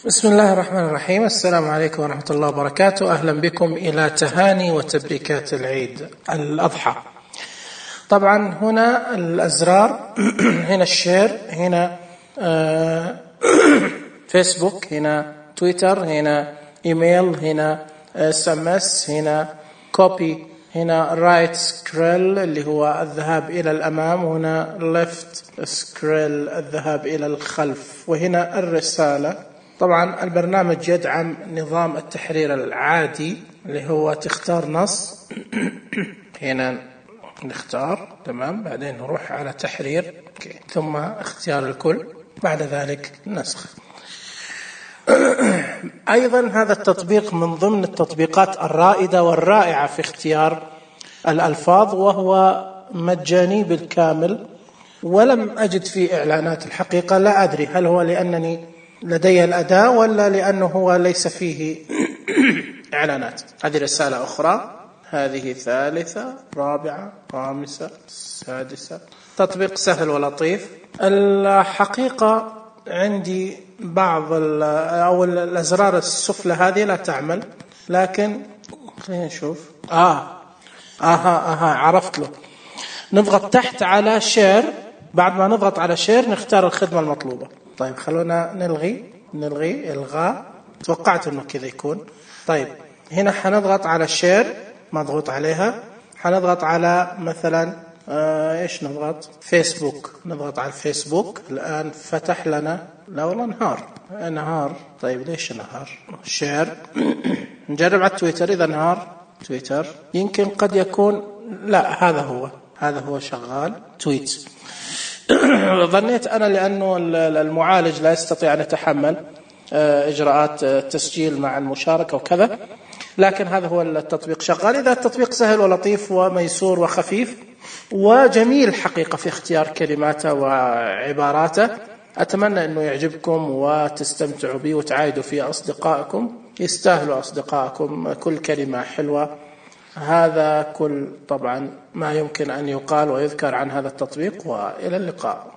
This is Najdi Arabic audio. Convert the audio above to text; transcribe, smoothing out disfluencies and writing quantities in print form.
بسم الله الرحمن الرحيم. السلام عليكم ورحمة الله وبركاته. أهلا بكم إلى تهاني وتبريكات العيد الأضحى. طبعا هنا الأزرار هنا الشير، هنا فيسبوك، هنا تويتر، هنا إيميل، هنا SMS، هنا كوبي، هنا رايت سكريل اللي هو الذهاب إلى الأمام، وهنا ليفت سكريل الذهاب إلى الخلف، وهنا الرسالة. طبعا البرنامج يدعم نظام التحرير العادي اللي هو تختار نص هنا نختار تمام، بعدين نروح على تحرير ثم اختيار الكل، بعد ذلك نسخ. أيضا هذا التطبيق من ضمن التطبيقات الرائدة والرائعة في اختيار الألفاظ، وهو مجاني بالكامل، ولم أجد فيه إعلانات. الحقيقة لا أدري هل هو لأنني لدي الأداة ولا لأنه هو ليس فيه إعلانات. هذه رسالة أخرى، هذه ثالثة، رابعة، خامسة، سادسة. تطبيق سهل ولطيف. الحقيقة عندي بعض أو الأزرار السفلى هذه لا تعمل، لكن خلينا نشوف. عرفت له. نضغط تحت على شير، بعد ما نضغط على شير نختار الخدمة المطلوبة. طيب خلونا نلغي إلغاء. توقعت إنه كذا يكون. طيب هنا حنضغط على شير، مضغوط عليها. حنضغط على مثلا إيش نضغط؟ فيسبوك. نضغط على الفيسبوك. الآن فتح لنا، لا والله نهار. طيب ليش نهار؟ شير. نجرب على تويتر. إذا نهار تويتر يمكن قد يكون، لا هذا هو شغال تويت. ظنيت أنا لأنه المعالج لا يستطيع أن يتحمل إجراءات تسجيل مع المشاركة وكذا، لكن هذا هو التطبيق شغال. إذا التطبيق سهل ولطيف وميسور وخفيف وجميل حقيقة في اختيار كلماته وعباراته. أتمنى أنه يعجبكم وتستمتعوا به وتعايدوا فيه أصدقائكم. يستاهلوا أصدقائكم، كل كلمة حلوة. هذا كل طبعا ما يمكن أن يقال ويذكر عن هذا التطبيق، وإلى اللقاء.